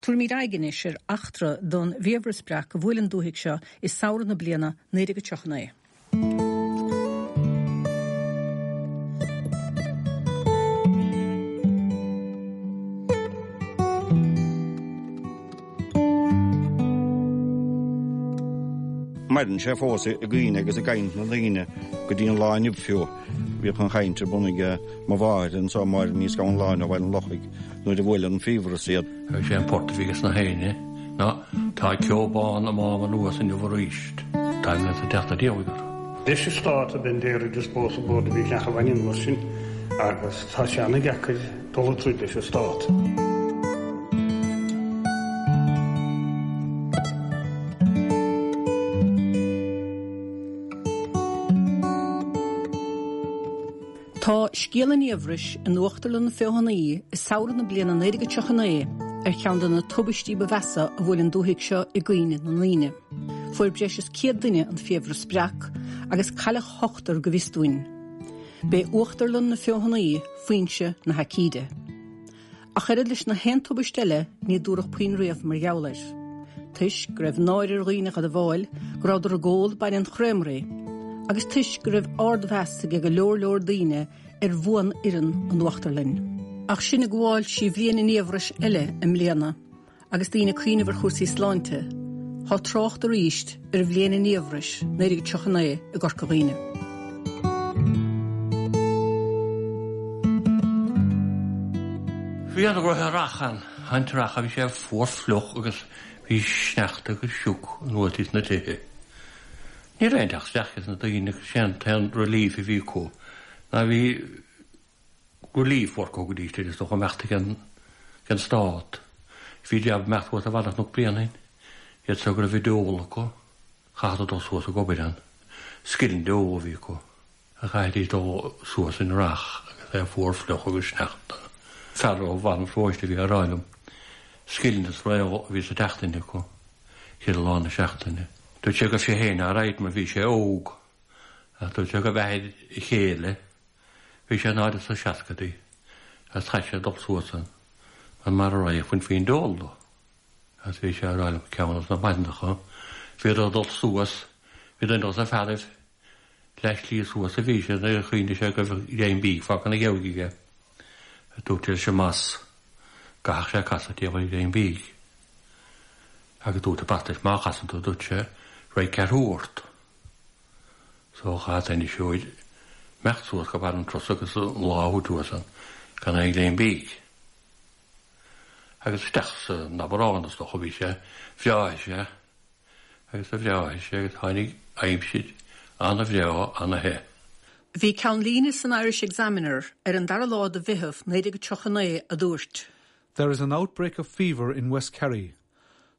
Tabharfaimid aghaidh anois ar eachtra don bhfiabhras breac a bhuail an dúthaigh seo i samhradh na bliana 1939. Maireann sé fós i gcuimhne agus i gcaint na ndaoine go dtí an lá inniu fiú. Bhíodh an chaint ar bun ag mo mháthair anso, Máire Ní Scanláin ó Bhaile an Lochaigh, nuair a bhuail an fiabhras iad. Is é an port a bhí ages na héinne ná tá ceo bán ag mám anuas inniu aríst. Táim leat ag teacht ar iarraidh ort. Leis an stát a bheith d'iarraidh is bós an bord a bhí leath a bhain anuas sin agus tá sé ana-dheacair dul ag troid leis an stát. Tá scéal an fhiabhrais in Uachtarlann na Feothanaí i samhradh na bliana 1939 ar cheann de na tubaistí ba mheasa a bhuail an dúthaigh seo i gcuimhne na ndaoine. Fuair breis is 100 duine an fiabhras breac agus cailleadh ochtar go bhfios dúinn. B'é Uachtarlann na Feothanaí foinse na haicíde. Ach oiread leis na haon tubaist eile ní dúradh puinn riamh mar gheall air. Toisc go raibh náire ar dhaoine a admháil go rabhadar ag ól bainne an chreamery, agus toisc go raibh ardmheas ag go leor leor daoine ar bhuanfhoireann an Uachtarlainn. Ach sinn ag gabháil trí bhliain an fhiabhrais eile i mbliana, Agus daoine ag cuimhneamh ar chúrsaí sláinte, tá trácht arís ar bhliain an fhiabhrais 1939 i gCorca Dhuibhne. Bhí an rath ann, an t-earrach, bhí sé fuar fliuch agus bhí sneachta agus sioc anuas ins na tithe. Ní raibh aon teacht isteach ag na daoine agus sé an t-aon relief a bhí acu ná bhí relief work a thugaidís air is dócha imeacht ag an stát. Bhí jab imeacht thuas ar bhealach Chnoc Bréanainn, iad so go raibh a deol acu, chaithfeadar dul suas ag obair ann. Scilling deol a bhí acu. Chaithfidís dul suas in earrach agus é fuar fliuch agus sneachta. Fear ó Bharr an Pharóiste a bhí á rá liom, scilling is réal a bhí sa tseachtain acu, chuile lá na seachtaine. Dúirt sé go raibh sé féin alright mar bhí sé óg, ach dúirt sé go raibh athair a chéile, Bhí sé in airde sna seascaidí agus chaith sé dul suas ann mar mara raghadh bhainfí an deol dó. Agus bhí sé ag rá liom ceann dos na maidineacha bhíodar ag dul suas, bhí duine dos na fearaibh leath slí suas a bhí sé nuair a chuimhnigh sé go raibh greim bídh fágtha ina gheabhaidh aige. Dúirt sé leis an mboss go gcaithfeadh sé casadh taobh ar ghreim bídh. Agus dúirt an boss leis má chasann tú dúirt sé raghaidh ceathrú ort. So chaith an seoid imeacht suas go barr an trusa agus an lá a thabhairt thuas ann gan aon ghreim bídh. Agus isteach san Aibreán is dócha bhí sé, bhreáigh sé agus a bhreáigh sé agus tháinig aimsir ana-bhreá ana-the. Bhí ceannlíne san Irish Examiner ar an dara lá de Mheitheamh 1939 a dúirt. There is an outbreak of fever in West Kerry.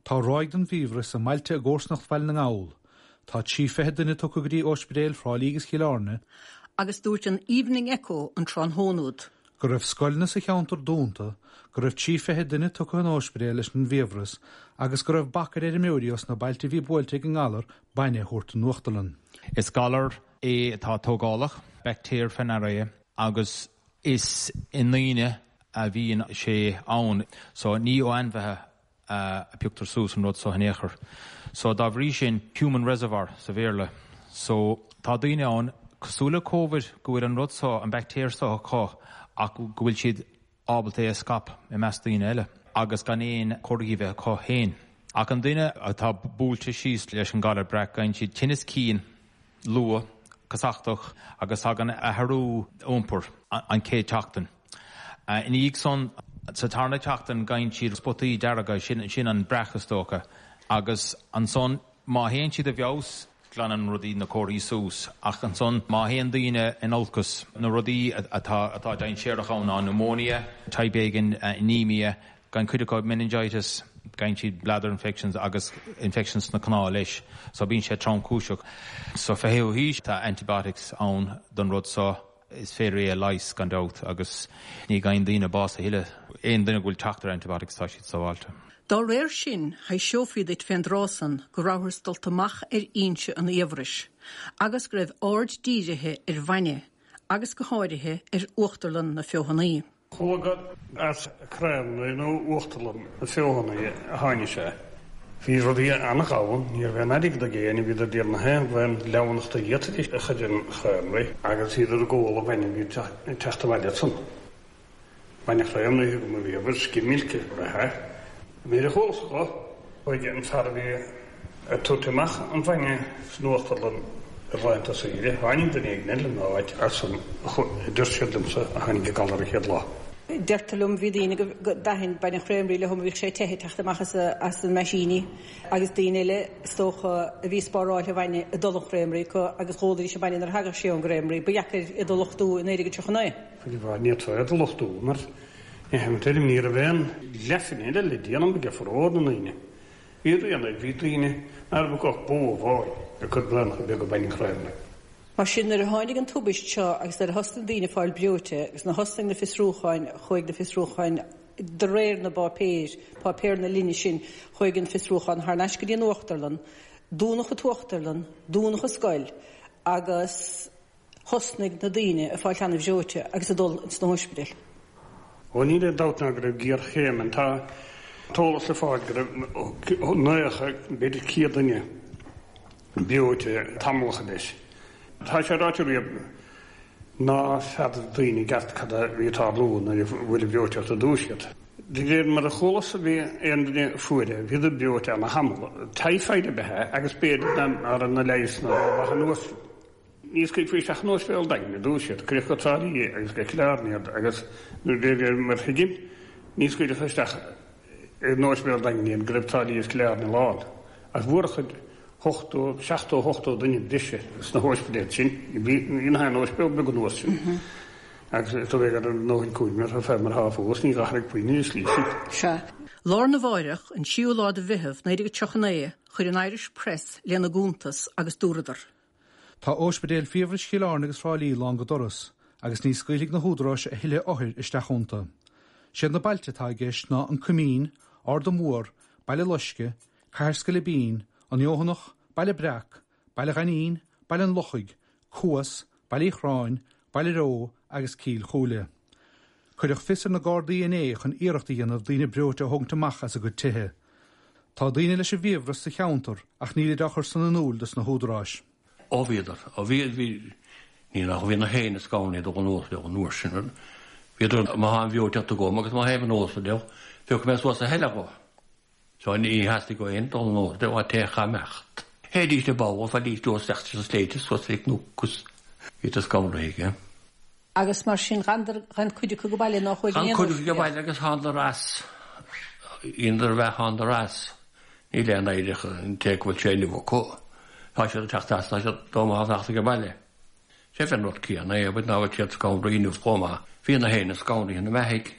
Tá ráig den bhfiabhras i mbailte i gcomharsanacht Bhaile na nGall. Tá 43 duine tugtha go dtí ospidéil Thrá Lí agus Chill Airne. Agus dúirt an Evening Echo an tráthnóna úd. Go raibh scoileanna sa cheantar dúnta, go raibh 43 duine tugtha chun ospidéil leis an bhfiabhras agus go raibh bac ar fheirmeoirí os na bailte a bhí buailte ag an ngalar bainne a thabhairt don uachtarlann. Is galar é atá tógálach, baictéar faoi ndeara é, agus is i ndaoine a bhíonn sé ann. So ní ó ainmhithe a pioctar suas an rud so in aon chor. So dá bhrí sin, human reservoir sa Bhéarla. So tá daoine ann, cosúil le Covid, go bhfuil an rud so, an baictéar so acu ach go bhfuil siad ábalta é a scaipeadh i measc daoine eile agus gan aon chomharthaí a bheith acu féin. Ach an duine atá buailte síos leis an galar breac, gheibheann siad tinneas cinn, luath, casachtach agus tagann athrú iompair an chéad tseachtain. Ina dhiaidh san, sa tarna tseachtain, gheibheann siad spotaí dearga, sin an breac is dócha, agus ansan má théann siad i bhfeabhas, glanann rudaí na comharthaí suas, ach ansan má théann daoine in olcas, na rudaí atá atá dainséarach ann ná pneumonia, type éigin anemia, Gheibheann cuid acu meningitis, gheibheann siad bladder infections agus infections sna cnámha leis, so bíonn sé tromchúiseach. Sa 20ú haois tá antibiotics ann don rud so, is féidir é a leigheas gan dabht agus ní gheibheann daoine bás a thuilleadh. Aon duine go bhfuil teacht ar antibiotics tá siad sábháilte. Dá réir sin, thaibhseofaí duit fén dtráth san go rabhthas dulta amach ar fhoinse an fhiabhrais, agus go raibh aird dírithe ar bhainne, agus go háirithe ar Uachtarlann na Feothanaí. Chuala gur as Creamnaigh nó Uachtarlann na Feothanaí a tháinig sé. Bhí rudaí an-ghann, ní raibh aon airgead ag éinne, bhíodar ag díol na haon bhean leamhnachta a d'fhéadfaidís a chur in Creamnaigh agus bhíodar ag ól an bhainne a bhí ag teacht abhaile ansan. Bainne Chreamnaigh go mba bhíobhair skim milk a raibh é. Nuair a chualas dho, chuaigh an fear a bhí ag tabhairt amach an bhainne san uachtarlann ar laethanta saoire, tháinig duine éigin eile ina áit ansan a deir siad liomsa a tháinig an galar an chéad lá. Deirtear liom bhí daoine go dtaithin bainne Chreamrí leo bhíodh sé te ag teacht amach as an meaisíní agus daoine eile is dócha a bhí spáráil an bhainne ag dul an Chreamrí acu agus dh'ólaidís an bainne nuair a thagadh sé ón gCreamrí. Ba dheacair iad a lochtú i 1939. Faoi bharr ní fhéadfá iad a lochtú mar ní hé ní raibh aon leathphingin eile le déanamh ag formhór na ndaoine. Bhí rian air, bhí daoine ná raibh acu ach bó amháin ag cur braonacha beaga bainne Chreamnaigh. Mar sin, nuair a tháinig an tubaist seo agus nuair a thosnaigh daoine ag fáil breoite agus nuair a thosnaigh na fiosrúcháin, chuaigh na fiosrúcháin de réir na bpáipéir, páipéir na linne sin, chuaigh an fiosrúchán thar n-ais go dtí an uachtarlann, dúnadh an t-uachtarlann, dúnadh an scoil agus. Thosnaigh na daoine ag fáil an-bhreoite agus ag dul ins na hóispidéil. Ó níl aon dabht ná go raibh géarchéim ann. Tá t-eolas le fáil go raibh 90, b'fhéidir 100 duine breoite tamallacha leis. Tá sé ráite riamh ná feadar daoine i gceart cad a bhí ag tarlú nuair a bhuail an bhreoiteacht ar dtús iad. De réir mar a chualas bhí aon duine a fuair é, bhíodar breoite ana-thamall. Typhoid ab ea é agus b'fhéidir ná raibh na leigheasanna rómhaith an uair sin. Ní scaoilfí isteach in Ospidéal an Daingin ar dtús iad, cuireadh go Trá Lí agus go Cill Airne iad agus de réir mar a thuigim, ní scaoilfeadh isteach in Ospidéal an Daingin iad go raibh Trá Lí agus Cill Airne lán. Ach bhuarfadh 80, 70, 80 duine breise sna hóispidéil sin, bhí na haon ospidéal beag an uair sin. Agus is dóigh go raibh a ndóthain cúraim orthu fé mar atá fós, ní ghlacathar puinn ar an slí sin. Sea. Lá arna mháireach, an tríú lá de Mheitheamh, 1939, chuir an Irish Press lena gcuntas agus dúradar. Tá Óispidéil Fiabhrais Chill Airne agus Thrá Lí lán go doras agus ní scaoilfidh na húdaráis a thuilleadh othair isteach iontu. Siad na bailte atá i gceist ná An Coimín, Ard an Mhór, Baile Loiscthe, Cathair Sceilibín, An Fheothanach, Baile Breac, Baile Ghainín, Baile an Lochaigh, Cuas, Baile Uí Chorráin, Baile Reo agus Cill Chúile. Cuireadh fios ar na Gardaí inné chun iarracht a dhéanamh daoine breoite a thógaint amach as a gcuid tithe. Tá daoine leis an bhfiabhras sa cheantar ach nílid á chur san in iúl dos na húdaráis. Ó bhíodar. Ó bhí, bhí, ní nach bhí na héinne scanraithe dul anuas leo an uair sin. Bhíodar, má tá an bhreoiteacht agam agus má théim anuas leo, phiocfaidh mé suas a thuilleadh dhó. So ní theastaigh ó éinne dul anuas leo, an té a imeacht. Théidís le ball, faighidís leo isteach sa sléibhte suas ar cnoc agus bhíodar scanraithe aige. Agus mar sin ghan cuid acu go baile ná chuaigh in aon Ghan cuid acu go baile agus thánadar as, dheineadar a bheith thánadar as. Níl aon éireach an té go bhfuil sé inniu acu. Tá siad ag teacht as, tá siad dá mba theacht ag baile. Sé fén rud céanna é, but ná bhfuil siad scanraithe inniu chomh maith. Bhí na héinne scanraithe na mbeathaigh.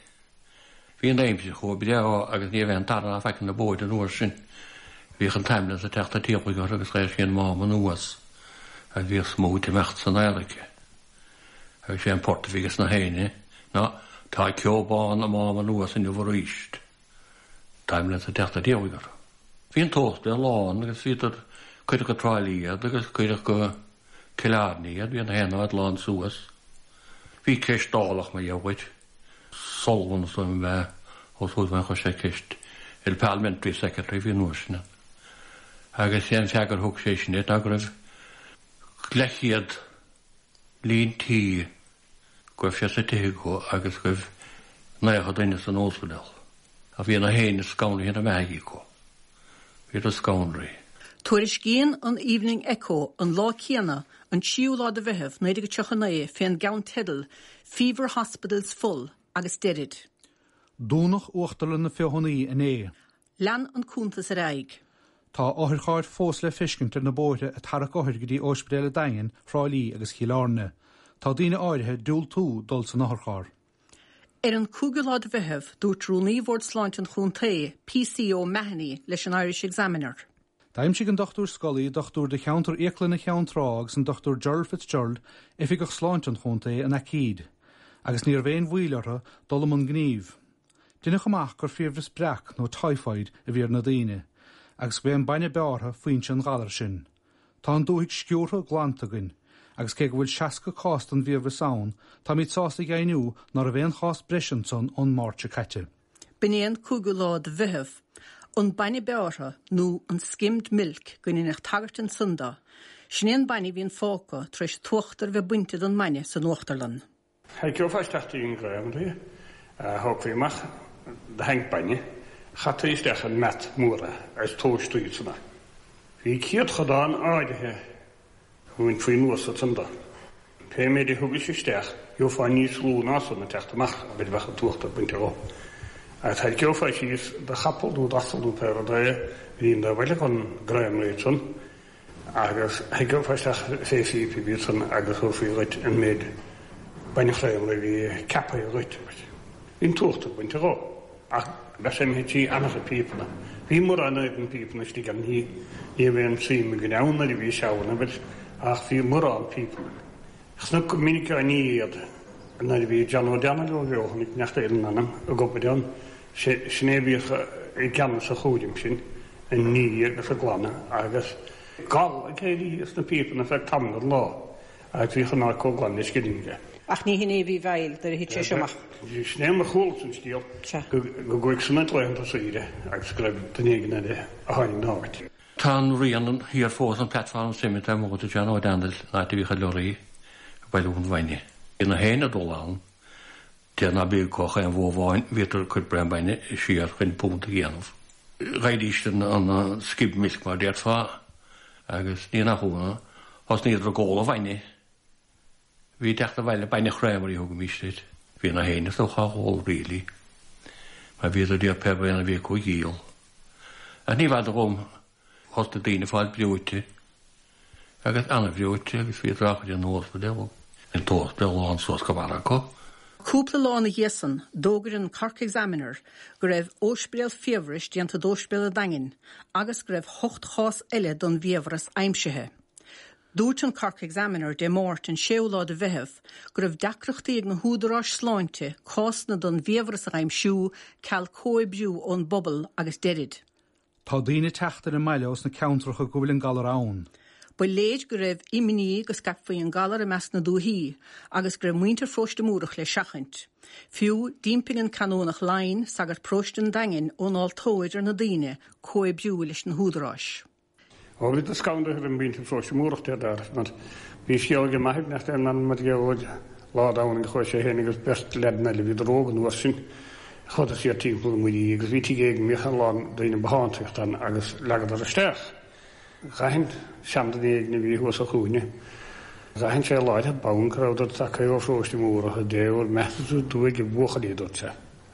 Bhí an aimsir chomh breá agus ní raibh aon tar ná faic ar na bóithre an uair sin. Bhíodh an t-ambulance ag teacht an tíopaigh orthu agus ghaibh sí an mám anuas agus bhíodh smúit ag imeacht san aer aici. Agus sé an port a bhí ages na héinne ná tá ceo bán ag mám anuas inniu aríst. T-ambulance ag teacht an tíopaigh orthu. Bhí an t-ósta lán agus bhíodar, cuireadh go Trá Lí iad agus cuireadh go Cill Airne iad, bhí na haon áit lán suas. Bhí ceist dálach mar dhea dhuit. Sullivan is dóigh liom ab ea Ó Súilleabháin chuir sé ceist ar an Parliamentary Secretary a bhí an uair sin ann. Agus sé an freagra a thug sé sin air ná go raibh leathchéad líon tí go raibh sé sa tithe acu agus go raibh 90 duine san ospidéal. Ach bhí na héinne scanraithe na mbeathaigh acu. Bhíodar scanraithe. Tuairiscíonn an Evening Echo an lá céanna, an tríú lá de Mheitheamh, 1939, fén gceannteideal 'Fever Hospitals Full' agus deirid. Dúnadh Uachtarlann na Feothanaí inné. Lean an cuntas ar aghaidh. Tá otharchairr fós le feiscint ar na bóithre ag tarrac othair go dtí Óispidéal an Daingin, Thrá Lí agus Chill Airne. Tá daoine áirithe ag diúltú dul san otharcharr. Ar an 5ú lá de Mheitheamh, dúirt Rúnaí Bhord Sláinte an Chontae, P.C. O'Mahony, leis an Irish Examiner. D'aimsigh an Dr Scully, dochtúir de cheantar Íoclainne Cheann Trá agus an Dr Gerald Fitzgerald, Oifigeach Sláinte an Chontae, an aicíd, agus ní raibh aon mhoill orthu dul i mbun gnímh. Deineadh amach gur fiabhras breac nó typhoid a bhí ar na daoine, agus go b'é an bainne beártha foinse an ghalair sin. Tá an dúthaigh sciúrtha glanta againn, Agus cé go bhfuil 60 cás den bhfiabhras ann, táimid sásta a dheimhniú ná raibh aon chás breise ansan ón Máirt seo caite. B'in é an cúigiú lá de Mheitheamh. An bainne beártha, nó an skimmed milk go ndeineadh tagairt ansan do, sin é an bainne a bhíonn fágtha tar éis an t-uachtar a bheith bainte den mbainne san uachtarlann. Tharraiceofá isteach dtí an ghreamaire, thógfaí amach do thanc bainne, chaití isteach in mat mór é agus tomhaistaí ansan é. Bhí céadchodán áirithe a bhainfí anuas ansan do. Pé méid a thugais isteach, gheofá níos lú ná san ag teacht amach, abair, bheadh an t-uachtar bainte dhó. Agus tharraiceofá síos do chapall nó d'asal nó pé rud é a bhí in do bhaile chun greamaire ansan, agus tharraiceofá isteach fé phíopa a bhí ansan agus thabharfaí dhuit an méid bainne chréamra a bhí ceaptha dhuit. Bhí an t-uachtar bainte dhó. Ach bheadh sé imithe trí an-chuid píopanna. Bhí mórán de na píopanna istigh ann, ní raibh aon suim againn ann nuair a bhí sé ann, abair, ach bhí mórán píopanna. Chonac go minic á ní iad nuair a bhí John Ó Danail beo, chonaic neacht Éireann anam ag obair ann, sin é a bhíodh i gceannas an chúraim sin, ag ní agus ag glanadh agus gal ag éirí as na píopanna feadh tamaill den lá. Agus bhíodh an áit chomh glan le scilling aige. Ach ní hin é a bhí i bhfeighil nuair a thit sé seo amach. Sin é mar chualas an scéal, go gcuaigh san ag laethanta saoire agus go raibh duine éigin eile a tháinig ina áit. Tá an rian thiar fós an platform cement ar mhótar John Ó Danail an áit a bhíodh an lorry ag bailiú an bhainne. Bhí na héinne ag dul ann, deir ná bíodh acu ach aon bhó amháin, bhíodar ag cur braon bainne siar chun punt a dhéanamh. Gheibhidís an skimmed milk mar déarfá agus ní nach ionadh, thosnaíodar ag ól an bhainne. Bhí ag teacht abhaile bainne chréamra a thugaimís air. Bhí na héinne is dócha á ól really mar bhíodar ag iarraidh pé braon a bhí acu a dhíol. Ach ní bhfada dhom Thosnaigh daoine ag fáil breoite agus an-bhreoite agus bhíodar á chur in ospidéal. Bhí an t-ospidéal lán suas go barra acu. Cúpla lá ina dhiaidh san, d'fhógair an Cork Examiner go raibh óispidéal fiabhrais déanta d'Óispidéal an Daingin agus go raibh hocht chás eile den bhfiabhras aimsithe. Dúirt an Cork Examiner Dé Máirt an séú lá de Mheitheamh go raibh deacrachtaí ag na húdaráis sláinte cásanna den bhfiabhras a aimsiú ceal comhoibriú ón bpobal agus deirid. Tá daoine ag teacht ar an mbaile ós na ceantracha go bhfuil an galar ann. Ba léir go raibh imní go scaipfí an galar i measc na dúichí agus go raibh muintir Pharóiste Múrach le seachaint. Fiú, d'impigh an Canónach Lyne, sagart paróiste an Daingin, ón altóir ar na daoine comhoibriú leis na húdaráis. Ó bhíodar scanraithe roimh mhuintir Pharóiste Múrach dé dar, mar bhí scéal ag m'athair nach raibh in ann mar gheall ar lá Domhnaigh chuaigh sé féin agus beirt leaideanna eile, bhíodar óg an uair sin, chuadar siar timpeall na Muirí agus bhí tigh éigin a mbíodh a lán daoine bothánta ann agus leagadar isteach. D'aithin seanduine éigin a bhí thuas sa chúinne, d'aithin sé láithreach bonn go rabhadar tagtha ó Pharóiste Múrach i dtaobh bhur mbeatha uaidh a bhuachaillí, a dúirt sé.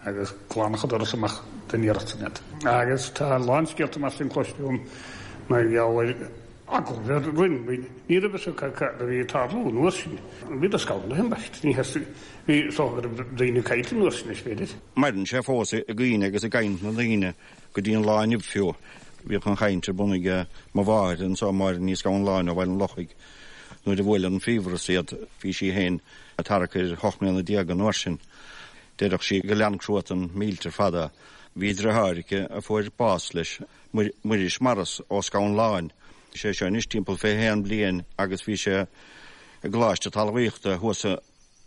agus glanadh an doras amach den iarracht san iad. Agus tá a lán scéalta mar sin cloiste agam mar gheall ar eagla a bheith roimh. Ní raibh fhios acu cad a bhí ag tarlú an uair sin. Bhíodar scanraithe ambaist. Ní theastaigh, bhí, is dócha go raibh daoine caillte an uair sin, is féidir. Maireann sé fós i gcuimhne agus i gcaint na ndaoine go dtí an lá inniu fiú. Bhíodh an chaint ar bun ag mo mháthair anso, Máire Ní Scanláin ó Bhaile an Lochaigh, nuair a bhuail an fiabhras iad. Bhí sí féin thart ar hocht mbliana déag an uair sin. Deireadh sí go lean cruatan millteach fada. Bhí driotháir aici a fuair bás leis, Muiris Morris ó Scanláin. Sé seo anois timpeall 21 bliain agus bhí sé i gColáiste Talmhaíochta thuas i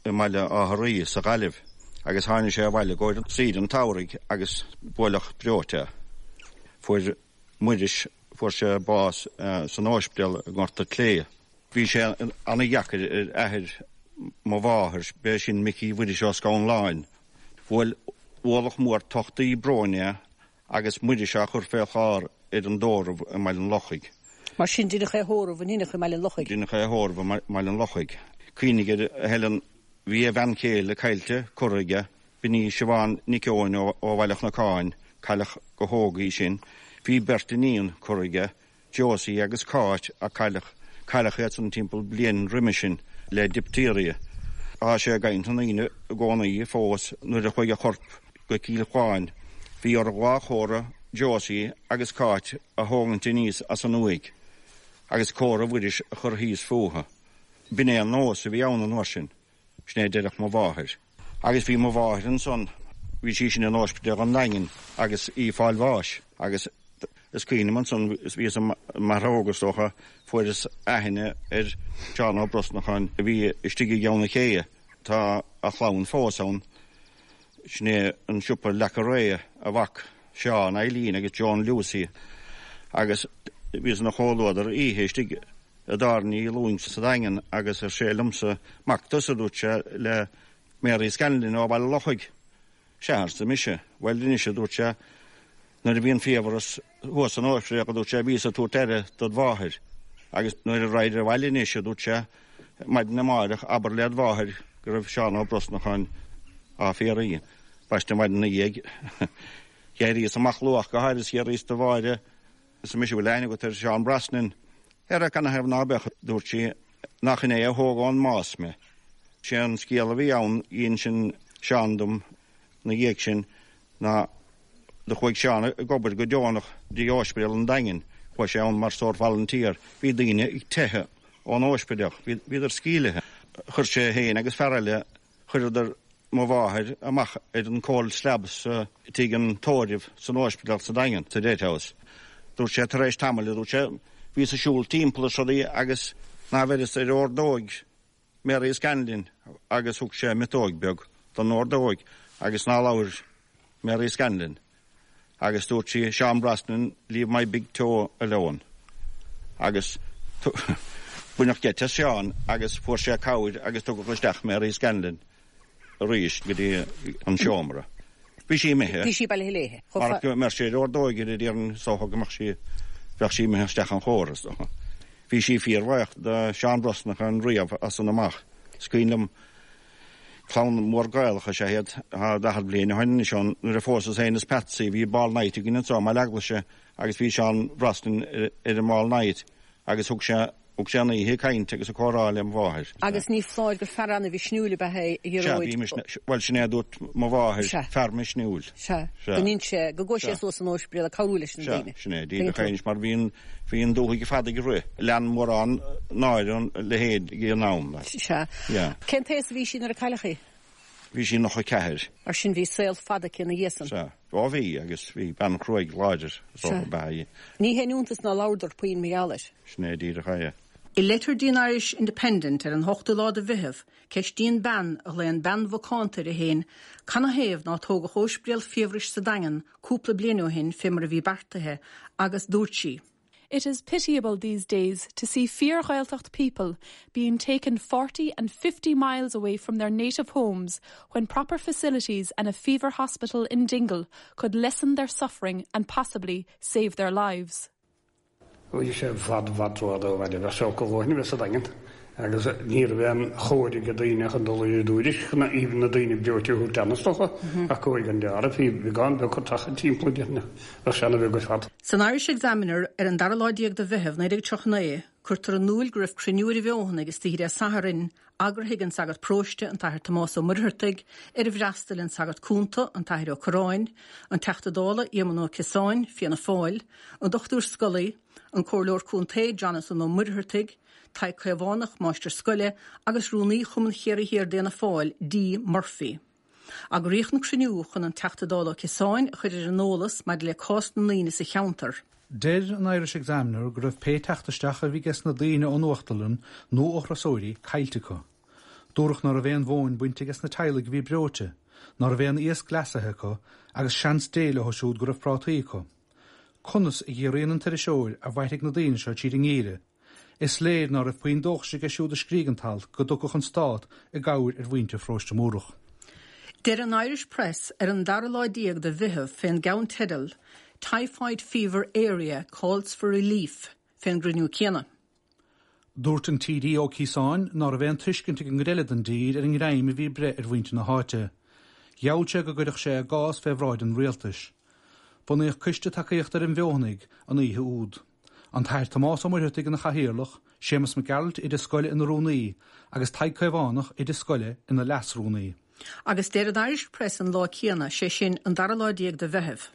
mBaile Átha Rí sa Ghaillimh agus tháinig sé abhaile i gcomhair saoire an tsamhraidh agus buaileadh breoite é. Fuair Muiris, fuair sé bás san óispidéal i nGort a' tSléibhe. Bhí sé ana-dheacair ar athair mo mháthar, b'é sin Micí Mhuiris Ó Scanláin. Bhuail ualach mór tochtaí bróin é agus Muiris á chur fé chlár ar an dtórramh i mBaile an Lochaigh. Mar sin, deineadh é a thórramh in Inich i mBaile an Lochaigh. Deineadh é a thórramh i mBaile an Lochaigh. Cuimhnigh air, a Helen, bhí a bhean chéile caillte, curtha aige, b'in í Siobhán Nic Eoin ó Bhaile Chnocáin, cailleadh go hóg í sin. Bhí beirt iníon curtha aige, Josie agus Cáit a cailleadh, cailleadh iad san timpeall bliain roimhe sin le diptéiria. Tá sé i gcaint na ndaoine i gcónaí fós nuair a chuaigh a chorp go Cill Chuáin bhí orthu dhá chófra Josie agus Cáit a thógaint aníos as an uaigh agus cófra Mhuiris a chur thíos fúthu. B'in é an nós a bhí ann an uair sin. Sin é a deireadh mo mháthair. Agus bhí mo mháthair ansan, bhí sí sin in Ospidéal an Daingin agus í ag fáil bháis agus. Is cuimhin liom ansan, bhíos maith óg is dócha, fuaireas aithne ar Sheán Ó Brosnacháin a bhí istigh i gCeann an Chéidhe. Tá a chlann fós ann. Sin é an siopa Leaca Réidhe, a mhac Seán, Eileen agus Joan Lucy. Agus bhíos ina chomhluadar oíche istigh i dtábhairne Uí Lúing sa Daingean agus ar sé liomsa, Mac tusa, a dúirt sé, le Mary Scanlon ó Bhaile Lochaigh. Sea, arsa mise. Bhuel anois, a dúirt sé, nuair a bhí an fiabhras thuas san ospidéal, a dúirt sé, bhíos ag tabhairt aire dod mháthair. Agus nuair a raghair abhaile anois, a dúirt sé, maidin amáireach, abair led mháthair go raibh Seán Ó Brosnacháin á fiafraí. Baiste an mhaidin ina dhiaidh. D'éiríos amach luath go háirithe is d'fhiafraíos de Mháire, arsa mise, bhfuil aithne agat ar Sheán Brosnan? Ara canathaobh ná beadh, a dúirt sí, nach in é a thóg ón mbás mé. Sé an scéal a bhí ann, dh'insin Seán dom 'na dhiaidh sin, ná do chuaigh Seán ag obair go deonach dtí Óispidéal an Daingin, chuaigh sé ann mar sórt volunteer, bhí daoine ag teitheadh ón óispidéal, bhíodar scaoilithe. Chuir sé féin agus fear eile, chuireadar mo mháthair amach ar an cold slab sa tigh an tórraimh san óispidéal sa Daingean, sa Death House. Dúirt sé tar éis tamaill, a dúirt sé, bhíos ag siúl timpeall is rudaí agus ná bheireas ar ordóig Mary Scanlon agus thug sé miotóig beag don ordóig agus ná labhair Mary Scanlon agus dúirt sí, Seán Brosnan, leave my big toe alone. Agus baineadh geit as Seán agus fuair sé cabhair agus tugadh isteach Mary Scanlon arís go dtí an seomra. Bhí sí imithe. Bhí sí bailithe léithe. Mar go mbeadh sé ar ordóig uirthi déarfainn is dócha go mbeadh sí, bheadh sí imithe isteach an chóir is dócha. Bhí sí fíorbhuíoch do Sheán Brosnachan riamh as san amach. Is cuimhin liom Clann mhór Gaelach is ea iad. Tá 40 bliain ó shin anois ann nuair a phósas féin is Patsy bhí ball night againn anseo i mBaile Eaglaise agus bhí Seán Brosnan ar an mball night agus thug sé thug sé an oíche ag caint agus ag comhrá le mo mháthair. Agus ní foláir gur fear ana-mhisniúil ab ea é, a Ghearóid. Sea, bhí misniúil. Bhuel, sin é a dúirt mo mháthair, Sea. fear misniúil. Sea. Sea. Go ndéan sé, go gcuaigh sé suas san óispidéal ag cabhrú leis na Sea, daoine. sin é, díreach é anois mar bhí an, bhí an dúthaigh ar fad ag rith. Lean mórán náire an leithéid ag an am. Sea. Yeah. Cén t-aos a bhí sí nuair a cailleadh í? Bhí sí 94. Mar sin bhí saol fada aici ina dhiaidh san. Sea. Ó bhí, agus bhí bean chruaidh láidir is dócha ab ea í. Ní haon iontas ná labhradar puinn mar gheall air. Sin é díreach é. I litir dtí an Irish Independent ar an ochtú lá de Mheitheamh, ceistíonn bean, a ghlaonn bean mhacánta uirthi féin, canathaobh ná tógadh óispidéal fiabhrais sa Daingean cúpla bliain ó shin fé mar a bhí beartaithe, agus dúirt sí. It is pitiable these days to see fíor-Ghaeltacht people being taken 40 and 50 miles away from their native homes when proper facilities and a fever hospital in Dingle could lessen their suffering and possibly save their lives. Bhí sé i bhfad i bhfad rófhada ó bhaile, bheadh sé olc a dhóthain a bheith sa Daingean agus ní raibh aon chóir ag daoine chun dul i dTuairisc chun even na daoine breoite a thabhairt ann is dócha, ach cóir gan deáramh, bhí beagán beag tagtha timpeall déarfainn bheadh sé ana-bheag ar fad. San Irish Examiner ar an dara lá déag de Mheitheamh 1939, cuirtear in iúil go raibh cruinniú ar an bhFeothanaigh istoíche Dé Sathairn, eagraithe ag an sagart paróiste, an tAthair Tomás Ó Muircheartaigh, ar ar fhreastail an sagart cúnta, an tAthair Ó Curráin, an Teachta Dála Éamonn Ó Ciosáin, Fianna Fáil, an Dr Scully, an Comhairleoir Contae Jonathan Ó Muircheartaigh, Tadhg Caomhánach, máistir scoile, agus Rúnaí Chumann Chiarraí Thiar d'Fhianna Fáil, D. Murphy. Eagraíodh an cruinniú chun an Teachta Dála Ó Ciosáin a chur ar an eolas maidir le cás na ndaoine sa cheantar. Deir an Irish Examiner go raibh pé teacht isteach a bhí ages na daoine ón uachtarlann nó ó thurasóirí caillte acu. Dúradh ná raibh aon mhóin bainte ages na teaghlaigh a bhí breoite, ná raibh aon iasc leasaithe acu agus seans Dé leo siúd go raibh prátaí acu. Conas, a fhiafraíonn an t-iriseoir, a mhairfidh na daoine seo tríd an ngeimhreadh? Is léir ná raibh puinn dóchais aige siúd a scrígh an t-alt go dtiocfadh an Stát i gcabhair ar mhuintir Pharóiste Múrach. Deir an Irish Press ar an dara lá déag de Mheitheamh fén gceannteideal 'Typhoid Fever Area Calls for Relief' fén gcruinniú céanna. Dúirt an TD Ó Ciosáin ná raibh aon tuiscint ag an gcuid eile den dtír ar an ngreim a bhí ag breith ar mhuintir na háite. Gheall sé go gcuirfeadh sé a gcás fé bhráid an rialtais. Bunaíodh coiste tacaíochta ar an bhFeothanaigh an oíche úd. An tAthair Tomás Ó Muircheartaigh ina chathaoirleach, Séamus Mac Gearailt, oide scoile ina rúnaí, agus Tadhg Caomhánach, oide scoile, ina leas-rúnaí. Agus deir an Irish Press an lá céanna, sé sin, an dara lá déag de Mheitheamh.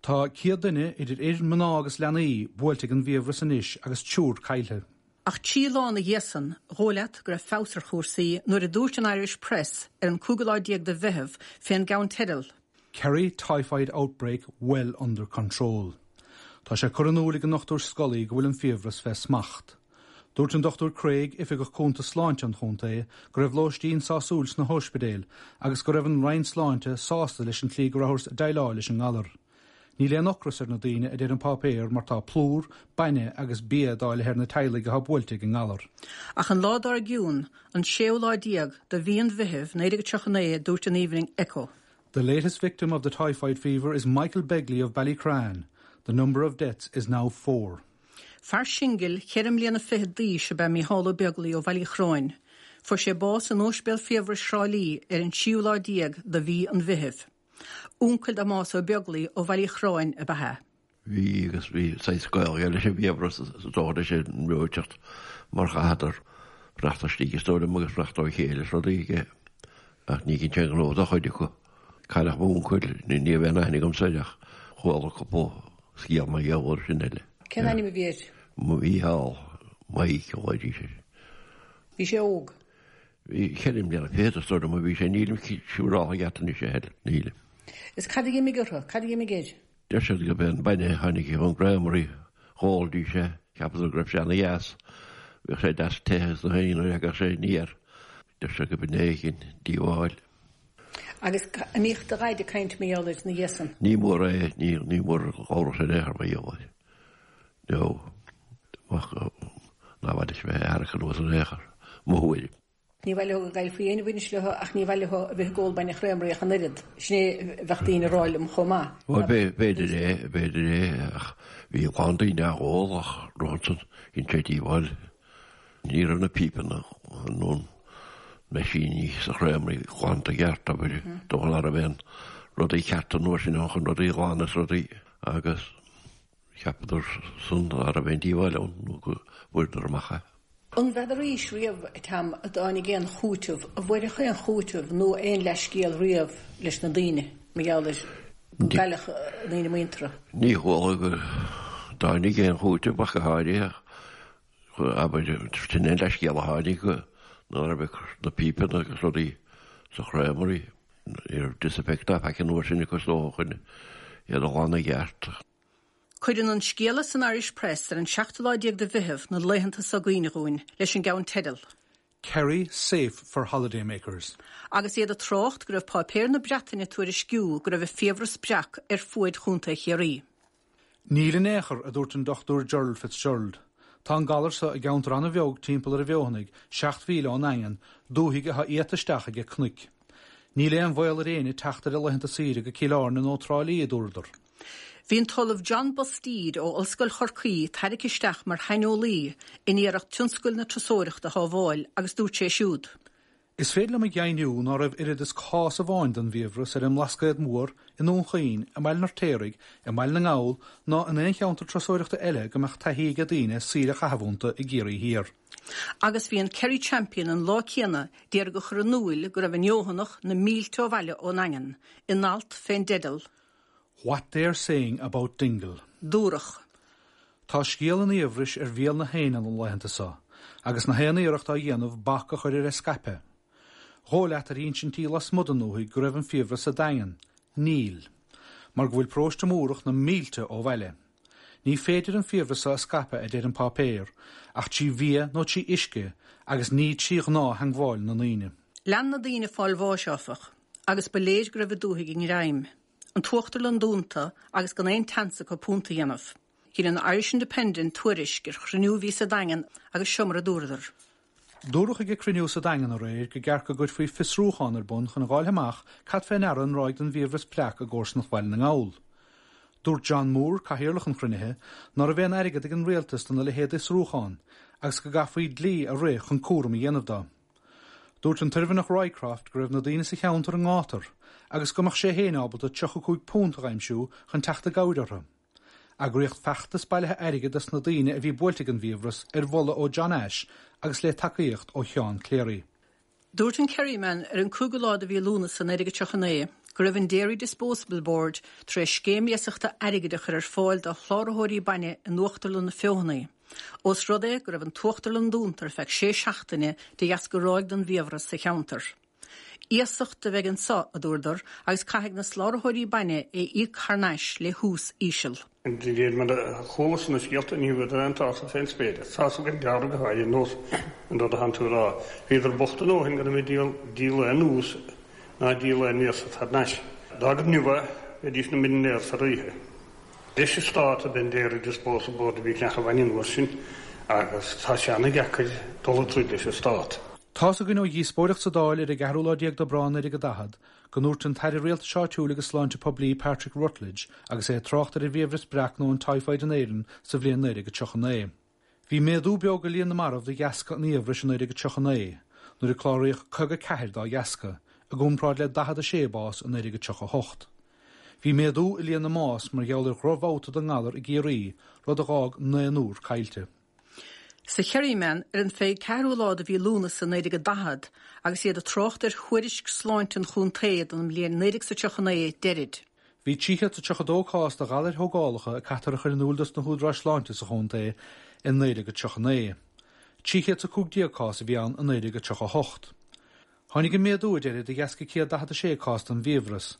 Tá 100 duine, idir fhir, mná agus leanaí, buailte ag an bhfiabhras anois agus triúr caillthe. Ach trí lá ina dhiaidh san, dhóigh leat go raibh feabhas ar chúrsaí nuair a dúirt an Irish Press ar an cúigiú lá déag de Mheitheamh fén gceannteideal. Kerry typhoid outbreak well under control. Tá sé curtha in iúl ag an nDochtúir Scully go bhfuil an fiabhras fé smacht. Dúirt an Dochtúir Craig, Oifigeach Cúnta Sláinte an chontae, go raibh lóistín sásúil sna hóispidéil agus go raibh an Roinn Sláinte sásta leis an tslí go rabhthas ag déileáil leis an ngalar. Níl aon ocras ar na daoine, a deir an páipéar, mar tá plúr, bainne agus bia dáilithe ar na teaghlaigh atá buailte ag an ngalar. Ach an lá dár gcionn, an séú lá de mhí an Mheithimh, 1939, dúirt an Evening Echo. The latest victim of the typhoid fever is Michael Begley of Ballycran. The number of deaths is now four. Fear singil, cheithre mbliana fichead d'aois ab ea Mícheál Ó Beaglaoi ó Bhaile Uí Chróin. Fuair sé bás in Óispidéal Fiabhrais Thrá Lí ar an tríú lá de mhí an Mheithimh. Uncail do Thomás Ó Beaglaoi ó Bhaile Uí Chróin ab ea é. Bhí agus bhí saghas gaol aige leis an bhfiabhras is dócha leis an mbreoiteacht mar chaitheadar fanacht istigh is dóigh liom agus fanacht ó chéile is rudaí aige ach ní cinnte aon ghnó do chuid acu. Cailleadh m'úncail, ní raibh aon aithne agamsa air ach chuala cúpla scéal mar gheall air sin eile. Cén ainm a bhí air? Mícheál, Mike a ghlaoidís air. Bhí sé óg? Bhí cheithre mbliana fichead is dóigh liom a bhí sé, nílim siúráltha ceart anois a Helen, nílim. Is cad a d'imigh orthu? Cad a d'imigh air? Deir siad gurb é an bainne a tháinig ón gcreamery, dh'ólaidís é, cheapadar go raibh sé ana-dheas, bhíodh sé deas te agus na haon nuair a thagadh sé aniar. Deir siad gurb in é a dhein díobháil. Agus an mbíodh do dhaid ag caint mar gheall air ina dhiaidh san? Ní mór é, ní, ní mór labhradh sé in aon chor mar gheall air. No, ach ná mhaith leis bheith ag amharc anuas in aon chor, mo thuairim. Ní mhaith leo go gcaillfí aon bhaint leo ach ní mhaith leo a bheith ag ól bainne chreamery ach an oiread. Sin é a bheadh daoine a rá liom chomh maith. Bhuel, b'fhéidir é, b'fhéidir é, ach bhí a lán daoine á ól ach ansan dhein sé díobháil. Ní raibh na pípeanna nó na meaisíní sa chreamery glanta i gceart, abair, dócha ná raibh aon rudaí cearta an uair sin ann chun rudaí a ghlanadh is rudaí agus Cheapadar san ná raibh aon díobháil ann nó go bhfuaireadar amach é. An bhfeadaraís riamh, a Tom, a dtáinig aon chúiteamh, an bhfuaireadh aon chúiteamh nó aon leithscéal riamh leis na daoine mar gheall ar go gcailleadh daoine muinteartha? Ní chuala go dtáinig aon chúiteamh ach go háirithe, abair, sin é an leithscéal a tháinig go ná raibh na pípeanna agus rudaí sa chreamery, ní raibh disinfect ná faic an uair sin acu is dócha chun iad a ghlanadh i gceart. Cuireann an scéala san Irish Press ar an seachtú lá déag de Mheitheamh na laethanta so i gcuimhne dhúinn leis an gceannteideal. Kerry safe for holidaymakers. Agus iad ag trácht go raibh páipéir na Breataine ag tuairisciú go raibh an fiabhras breac ar fuaid Chontae Chiarraí. Níl in aon chor, a dúirt an Dr Gerald Fitzgerald. Tá an galar so i gceantar an-bheag timpeall ar an bhFeothanaigh, 7 mhíle ón nDaingean, dúthaigh atá iata isteach aige cnoic. Níl aon bhaol ar éinne teacht ar a laethanta saoire go Cill Airne nó Trá Lí, a dúradar. Bhí an tOllamh John Busteed ó Ollscoil Chorcaí tairgthe isteach mar shaineolaí in iarracht tionscal na turasóireachta a shábháil agus dúirt sé siúd. Is féidir liom a dheimhniú ná raibh oiread is cás amháin den bhfiabhras ar an mBlascaod Mór, i nDún Chaoin, i mBaile an Fheirtéaraigh, i mBaile na nGall ná in aon cheantar turasóireachta eile go mbeadh taithí aige daoine saoire a chaitheamh iontu i gCiarraí Thiar. Agus bhí an Kerry Champion an lá céanna d'iarraidh a chur in úil go raibh an Fheothanach na mílte ó bhaile ón nDaingean, in alt fén dteideal. What They're Saying About Dingle. Dúradh. Tá scéal an fhiabhrais ar bhéal na héinne na laethanta so, agus na haon iarracht á dhéanamh bac a chur ar a scaipeadh. Dhóigh leat ar ínsintí lasmuigh den ndúthaigh go raibh an fiabhras sa Daingean. Níl. Mar go bhfuil paróiste Múrach na mílte ó bhaile. Ní féidir an fiabhras so a scaipeadh, a deir an páipéar, ach trí bhia nó trí uisce agus ní trí ghnáth-theangmháil na ndaoine. Lean na daoine ag fáil bháis, áfach, agus ba léir go raibh an dúthaigh i ngreim. An tUachtarlann dúnta agus gan aon tseans acu punt a dhéanamh. Dhein an Irish Independent tuairisc ar chruinniú a bhí sa Daingean agus seo mar a dúradar. Dúradh ag an cruinniú sa Daingean aréir go gceart go gcuirfí fiosrúchán ar bun chun a dh'fháil amach cad fé ndeara an ráig den bhfiabhras breac i gcomharsanacht Bhaile na nGall. Dúirt John Moore, cathaoirleach an chruinnithe, ná raibh aon airgead ag an rialtas dona leithéid d'fhiosrúchán agus go gcaithfí dlí a rith chun cúram a dhéanamh do. Dúirt an tOirmhinneach Roycroft go raibh na daoine sa cheantar i ngátar agus go mbeadh sé féin ábalta £35 a dh'aimsiú chun teacht i gcabhair orthu. Eagraíodh feachtas bailithe airgid dos na daoine a bhí buailte ag an bhfiabhras ar mholadh ó John Ashe agus le tacaíocht ó Sheán Clery. Dúirt an Kerryman ar an 5ú lá de mhí Lúnasa 1939 go raibh an Dairy Disposal Board tar éis scéim iasachta airgid a chur ar fáil do shláraitheoirí bainne in Uachtarlann na Feothanaí. Ós rud é go raibh an tUachtarlann dúnta ar feadh sé seachtaine de dheasca ráig den bhfiabhras sa cheantar. Iasacht a bheidh anso, a dúradar, agus caithfidh na soláthróirí bainne é íoc thar n-ais le hús íseal. De réir mar a chualas na scéalta ní bhfuair aon tsásamh fén spéir. Sásamh gan dealramh go háirithe ar nós an rud atánn tú a rá. Bhíodar bocht a ndóthain gan a bheith ag díol aon ús ná ag díol aon iasacht thar n-ais. Dá gur inniu é, bheidís ina millionaires thar oíche. Leis an Stát ab é an Dairy Disposal Board a bhí ag ceannach an bhainne an uair sin agus tá sé ana-dheacair dul ag troid leis an Stát. Tá's againn ó dhíospóireacht sa Dáil ar an gceathrú lá déag d'Aibreán 1940 go ndúirt an tAire Rialtais Áitiúil agus Sláinte Poiblí Patrick Ruttledge agus é ag trácht ar an bhfiabhras breac nó an typhoid in Éirinn sa bhliain 1939. Bhí méadú beag i líon na marbh de dheasca an fhiabhrais i 1939, nuair a cláraíodh 54 dá dheasca, i gcomparáid le 46 bás i 1938. Bhí méadú i líon na mbás mar gheall ar dhrochbhabhta den ngalar i gCiarraí, rud a dh'fhág naonúr caillte. Sa Kerryman ar an 24ú lá de mhí Lúnasa 1940, agus iad ag trácht ar thuairisc sláinte an chontae don mbliain 1939, deirid. Bhí 332 cás de ghalair thógálacha a caitear a chur in iúl dos na húdaráis sláinte sa chontae i 1939. 315 cás a bhí ann i 1938. Tháinig an méadú, a deirid, de dheasca 146 cás den bhfiabhras,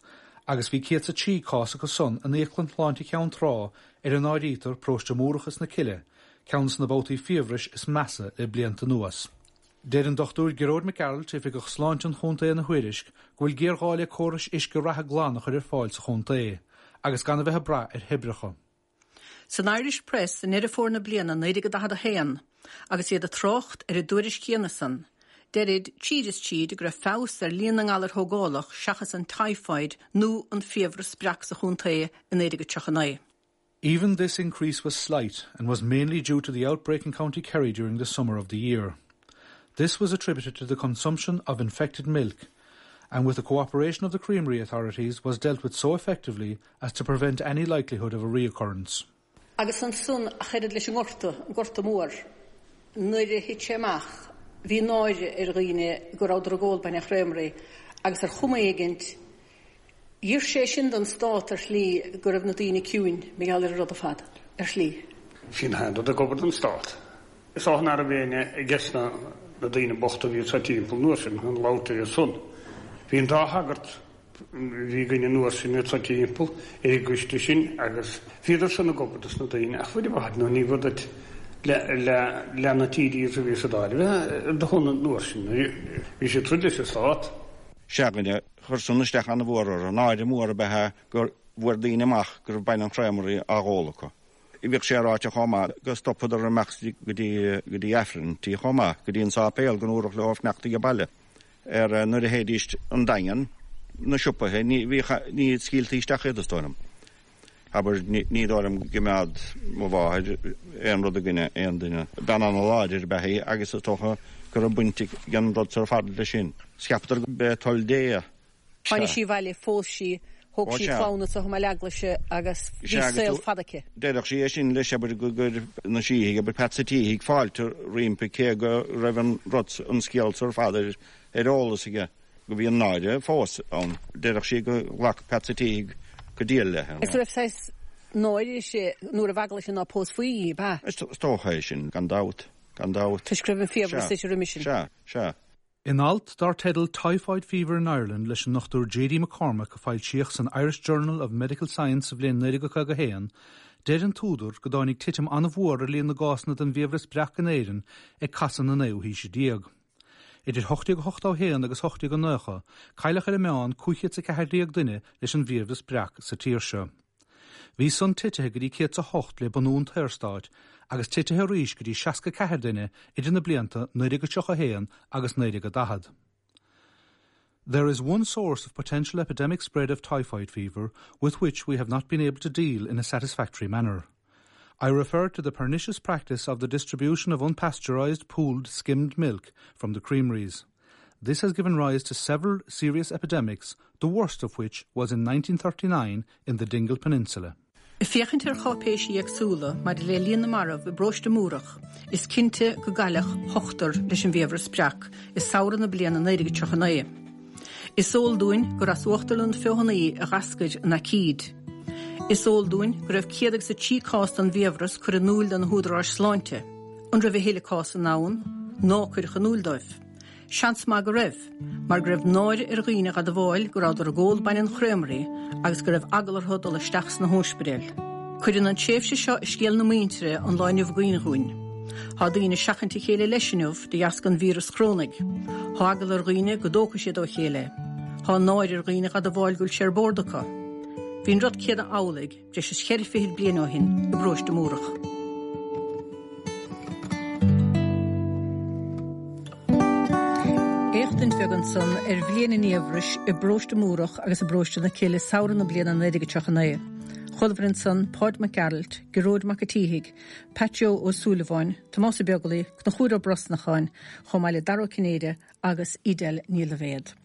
agus bhí 103 cás acu san in Íoclann Shláinte Cheann Trá ar a n-áirítear Paróiste Múrach is na Cille, ceann de na babhtaí fiabhrais is measa le blianta anuas. Deir an Dr Gearóid Mac Gearailt, Oifigeach Sláinte an Chontae ina thuairisc go bhfuil géarghá le córais uisce reatha glan a chur ar fáil sa chontae, agus gan a bheith ag brath ar thoibreacha. San Irish Press i nDeireadh Fómhair na bliana 1941, agus iad ag trácht ar an dtuairisc chéanna san, deirid, tríd is tríd, go raibh feabhas ar líon na ngalar thógálach seachas an typhoid nó an fiabhras breac sa chontae i 1939. Even this increase was slight and was mainly due to the outbreak in County Kerry during the summer of the year. This was attributed to the consumption of infected milk and with the cooperation of the creamery authorities was dealt with so effectively as to prevent any likelihood of a reoccurrence. Agus ansan ach oiread leis an nGorta, an Gorta Mór, nuair a thit sé amach bhí náire ar dhaoine go rabhadar ag ól bainne chreamery agus ar chuma éigint D'iarr sé sin don stát ar shlí go raibh na daoine ciúin mar gheall ar an rud ar fad, ar shlí. Bhí an rud ag obair don stát. Is dócha nach raibh éinne ages na daoine bochta a bhí anso timpeall an uair sin chun labhairt ar a son. Bhí an dá shagart a bhí againn an uair sin anso timpeall ar an gcoiste sin agus bhíodar san ag obair dos na daoine ach bhuel i bhfad nó ní bhfuair duit le le na TDs a bhí sa Dáil a bheith ar do shon an uair sin. Bhí siad ag troid leis an stát. Sea, chuir san isteach an-mhór orthu. Náire mór ab ea é go bhfuair daoine amach go raibh bainne an chreamery á dh'ól acu. Bhíodh sé ráite chomh maith go stopadar imeacht go dtí go dtí Aifrinntí chomh maith, go dtí an sáipéal go ndúradh leo fanacht age baile. Ar nuair a théidís 'on Daingean, na siopaithe, ní bhíodh ní scaoiltí isteach iad is dóigh liom. Abair, ní dóigh liom go gcimeád mo mháthair aon rud i gcoinne aon duine. Bean ana-láidir ab ea í agus is dócha go raibh baint ag an rud so ar fad leis sin. Cheapadar go b'é toil Dé é. Tháinig sí abhaile, phós sí, thóg sí clann anso i mBaile Eaglaise agus bhí saol fada aici. Deireadh sí é sin leis, abair, go gcuir na síthigh, abair, Peats a' tSíthigh, fáilte roimpi cé go raibh an rud, an scéal so ar fad ar eolas aige. go bhí an náire fós ann. Deireadh sí go ghlac Peats a' tSíthigh go diail léi. Is raibh saghas náire uirthi nó raibh eagla uirthi ná pósfaí í, ab ea? Is dócha é sin, gan dabht, gan dabht. Toisc go raibh an fiabhras uirthi roimhe sin. Sea, sea. In alt dar teideal Typhoid Fever in Ireland leis an Dr J.D. McCormack a foilsíodh san Irish Journal of Medical Science sa bhliain 1951, deir an t-údar go dtáinig titim an-mhór ar líon na gcásanna den bhfiabhras breac in Éirinn ag casadh na naoú haoise déag. Idir 1881 agus 1890, cailleadh ar an meán 514 duine leis an bhfiabhras breac sa tír seo. Bhí san titithe go dtí 108 le bunú an tSaorstáit agus titithe arís go dtí 64 duine idir na blianta 1931 agus 1940. There is one source of potential epidemic spread of typhoid fever with which we have not been able to deal in a satisfactory manner. I refer to the pernicious practice of the distribution of unpasteurized, pooled, skimmed milk from the creameries. This has given rise to several serious epidemics, the worst of which was in 1939 in the Dingle Peninsula. Ag féachaint ar cháipéisí éagsúla maidir le líon na marbh i bparóiste Múrach, is cinnte go gcailleadh ochtar leis an bhfiabhras breac i samhradh na bliana 1939. Is eol dúinn gur as Uachtarlann Feothanaí a dh'eascair an aicíd. Is eol dúinn go raibh 103 cás den bhfiabhras curtha in iúil do na húdaráis sláinte. An raibh a thuilleadh cásanna ann ná cuireadh in iúil dóibh? Seans maith go raibh, mar go raibh náire ar dhaoine a dh'admháil go rabhadar ag ól bainne an chreamery agus go raibh eagla orthu dul isteach sna hóispidéil. Cuireann an tréimhse seo i scéal na muintire an lá inniu i gcuimhne dhúinn. Tá daoine ag seachaint a chéile leis inniu de dheasca an víreas chorónaigh. Tá eagla ar dhaoine go dtógfaidh siad ó chéile é. Tá náire ar dhaoine a dh'admháil go bhfuil sé ar bord acu. Bhí an rud céanna amhlaidh breis is cheithre fichid bliain ó shin i bparóiste Múrach. Éachtaint bheag ansan ar bhliain an fhiabhrais i bparóiste Múrach agus i bparóiste na Cille samhradh na bliana 1939. Chualamar ansan Páid Mac Gearailt, Gearóid Mac a' tSíthigh, Pat Joe Ó Súilleabháin, Tomás Ó Beaglaoich, Conchúr Ó Brosnacháin, chomh maith le Dara Ó Cinnéide agus Edel Ní Loibhéad.